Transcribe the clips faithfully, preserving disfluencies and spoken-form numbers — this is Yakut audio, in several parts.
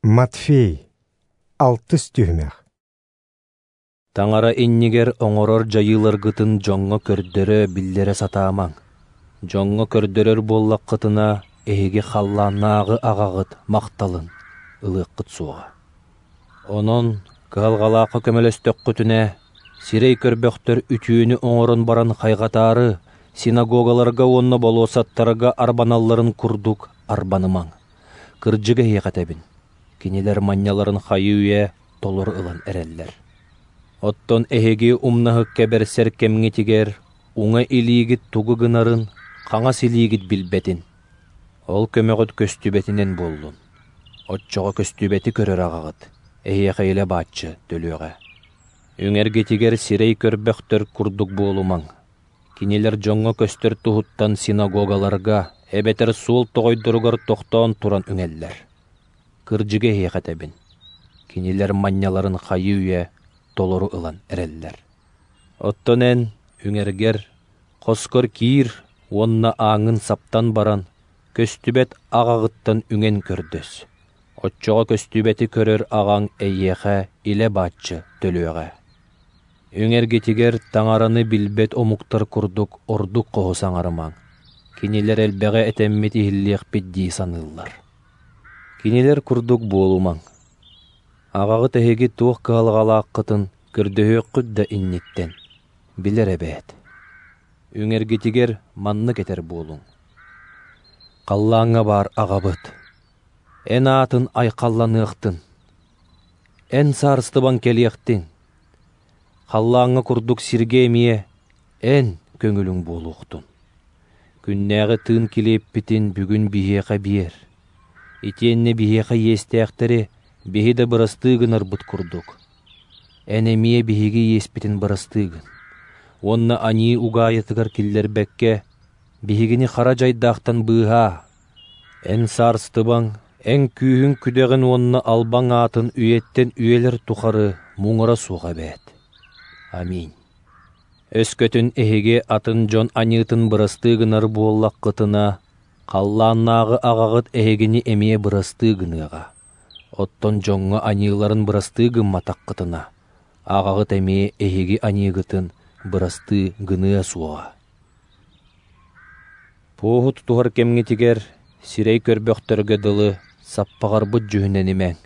Матфей, алтыс түһүмэх. Таҥара иннигэр оҥорор дьайыыларгытын дьоҥҥо көрдөрө, биллэрэ сатаамаҥ. Дьоҥҥо көрдөрөр буоллаххытына, эһиги халлааннааҕы аҕаҕыт махталын ылыаххыт суоҕа. Онон кыһалҕалаахха көмөлөстөххүтүнэ, сирэй көрбөхтөр үтүөнү оҥорон баран хайҕатаары, синагогаларга уонна болуоссаттарга арбаналларын курдук арбанымаҥ. Кырдьык эһиэхэ этэбин, кинилэр манньаларын хайыы-үйэ толору ылан эрэллэр. Оттон эһиги умнаһыкка бэрсэр кэмҥитигэр уҥа илиигит тугу гынарын хаҥас илиигит билбэтин. Ол көмөҕүт көстүбэтинэн буоллун. Оччоҕо көстүбэти көрөр аҕаҕыт, эһиэхэ илэ бааччы төлүөҕэ. Үҥэргитигэр сирэй көрбөхтөр курдук буолумаҥ. Кинилэр дьоҥҥо көстөр туһуттан синагогаларга эбэтэр суол тоҕойдоругар тохтоон туран үҥэллэр. Кырдьыгы эһиэхэ этэбин, кинилэр манньаларын хайыы-үйэ толору ылан эрэллэр. Оттон эн үҥэргэр, хоскор киир уонна ааҥҥын саптан баран, көстүбэт аҕаҕыттан үҥэн көрдөс. Оччоҕо көстүбэти көрөр аҕаҥ эйиэхэ илэ бааччы төлүөҕэ. Үҥэргитигэр таҥараны билбэт омуктар курдук ордук хоһу саҥарымаҥ. Кинилэр элбэҕи этэммит иһиллиэхпит дии саныыллар. Кинилэр курдук буолумаҥ. Аҕаҕыт эһиги туох кыһалҕалааххытын көрдөһүөххүт да инниттэн билэр эбээт. Үҥэргитигэр маннык этэр буолуҥ. Халлааҥҥа баар аҕабыт, эн аатын айхалланыахтын, эн саарыстыбаҥ кэлиэхтин, халлааҥҥа курдук сиргэ эмиэ эн көҥүлүҥ буолуохтун. Күннээҕи тыын килиэппитин бүгүн биһиэхэ биэр. Итиэннэ биһиэхэ иэстээхтэри биһи да бырастыы гынарбыт курдук. Эн эмиэ биһиги иэспитин бырастыы гын. Уонна аньыы угаайытыгар киллэрбэккэ, биһигини хара дьайдаахтан быыһаа. Эн саарыстыбаҥ, эн күүһүҥ күдэҕин уонна албаҥ аатын үйэттэн үйэлэр тухары муҥура суох эбээт. Аминь. Өскөтүн эһиги атын дьон аньыытын бырастыы гынар буоллаххытына, халлааннааҕы аҕаҕыт эһигини эмиэ бырастыы гыныаҕа. Оттон дьоҥҥо аньыыларын бырастыы гымматаххытына, аҕаҕыт эмиэ эһиги аньыыгытын бырастыы гыныа суоҕа. Пуоһу тутуһар кэмҥитигэр сирэй көрбөхтөргө дылы саппаҕарбыт дьүһүнэнимэҥ.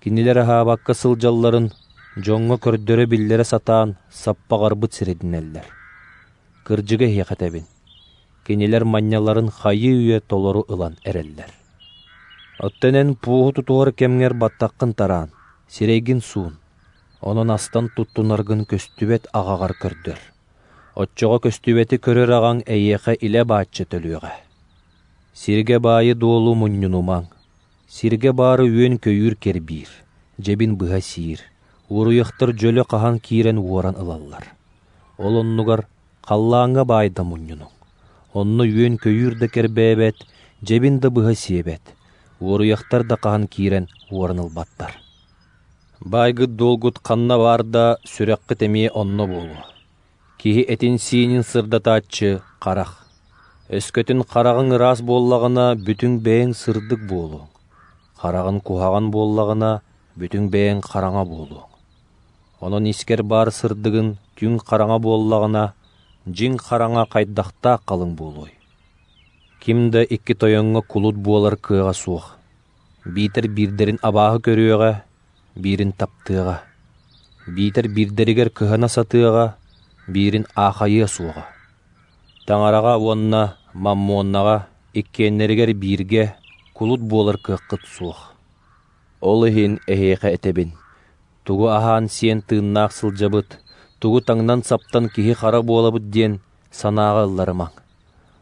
Кинилэр аһаабакка сылдьалларын дьоҥҥо көрдөрө-биллэрэ сатаан саппаҕарбыт сирэйдэнэллэр. Кырдьыгы эһиэхэ этэбин, кинилэр манньаларын хайыы-үйэ толору ылан эрэллэр. Оттон эн пуоһу тутуһар кэмҥэр баттаххын тараан, сирэйгин суун, онон астан туттунаргын көстүбэт аҕаҕар көрдөр. Оччоҕо көстүбэти көрөр аҕаҥ эйиэхэ илэ бааччы төлүөҕэ. Сиргэ баайы-дуолу мунньунумаҥ. Сиргэ баары үөн-көйүүр кэрбиир, дьэбин быһа сиир, уоруйахтар дьөлө хаһан киирэн уоран ылаллар. Ол оннугар халлааҥҥа баайда мунньунуҥ. Онно үөн-көйүүр да кэрбээбэт, дьэбин да быһа сиэбэт, уоруйахтар да хаһан киирэн уоран ылбаттар. Баайгыт-дуолгут ханна баар да, сүрэххит эмиэ онно буолуо. Киһи этин-сиинин сырдатааччы харах. Өскөтүн хараҕыҥ ыраас буоллаҕына, бүтүн бэйэҥ сырдык буолуоҥ. Хараҕын куһаҕан буоллаҕына, бүтүн бэйэҥ хараҥа буолуоҥ. Онон искэр баар сырдыгын түҥ хараҥа буоллаҕына, дьиҥ хараҥа хайдахтаах халыҥ буолуой? Ким да икки тойоҥҥо кулут буолар кыаҕа суох. Биитэр биирдэрин абааһы көрүөҕэ, биирин таптыаҕа. Биитэр биирдэригэр кыһана сатыаҕа, биирин аахайыа суоҕа. Таҥараҕа уонна маммоннаҕа иккиэннэригэр бииргэ кулут буолар кыаххыт суох. Ол иһин эһиэхэ этэбин, тугу аһаан-сиэн тыыннаах сылдьабыт, тугу таҥнан-саптан киһи хара буолабыт диэн санааҕа ылларымаҥ.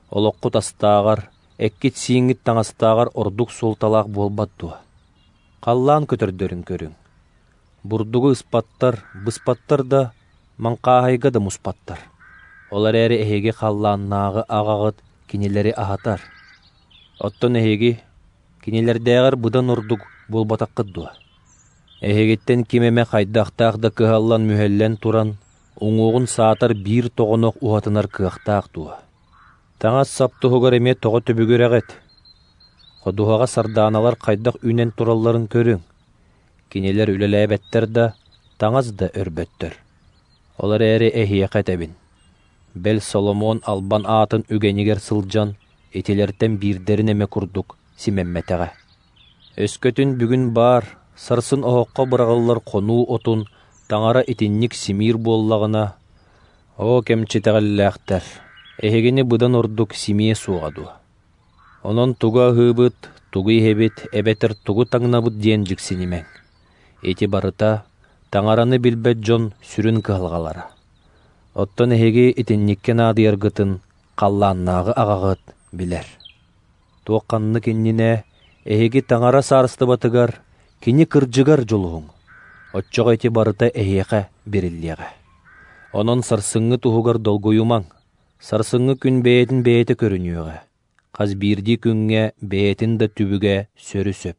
Олоххут астааҕар, эккит-сииҥҥит таҥастааҕар ордук суолталаах буолбат дуо? Халлаан көтөрдөрүн көрүҥ. Бурдугу ыспаттар, быспаттар да, маҥхааһайга да муспаттар. Ол эрээри эһиги халлааннааҕы аҕаҕыт кинилэри аһатар. Оттон эһиги кинилэрдээҕэр быдан ордук буолбатаххыт дуо? Эһигиттэн ким эмэ хайдахтаах да кыһаллан-мүһэллэн туран, уҥуоҕун саатар биир тоҕонох уһатынар кыахтаах дуо? Таҥас сап туһугар эмиэ тоҕо түбүгүрэҕит? Ходуһаҕа сардааналар хайдах үүнэн туралларын көрүҥ. Кинилэр үлэлээбэттэр да, таҥас да өрбөттөр. Ол эрээри эһиэхэ этэбин: бэл Соломон албан аатын үгэнигэр сылдьан, итилэртэн биирдэрин эмэ курдук симэммэтэҕэ. Өскөтүн бүгүн баар, сарсын оһоххо быраҕыллар хонуу отун Таҥара итинник симиир буоллаҕына, оо, кэмчитэҕэллээхтэр, эһигини быдан ордук симиэ суоҕа дуо? Онон тугу аһыыбыт, тугу иһэбит эбэтэр тугу таҥнабыт диэн дьиксинимэҥ. Ити барыта Таҥараны билбэт дьон сүрүн кыһалҕалара. Оттон эһиги итинниккэ наадыйаргытын халлааннааҕы аҕаҕыт билэр. Туох ханнык иннинэ эһиги Таҥара саарыстыбатыгар, кини кырдьыгар дьулуһуҥ. Оччоҕо ити барыта эһиэхэ бэриллиэҕэ. Онон сарсыҥҥы туһугар долгуйумаҥ. Сарсыҥҥы күн бэйэтин бэйэтэ көрүнүөҕэ. Хас биирдии күҥҥэ бэйэтин да түбүгэ сөрү сөп.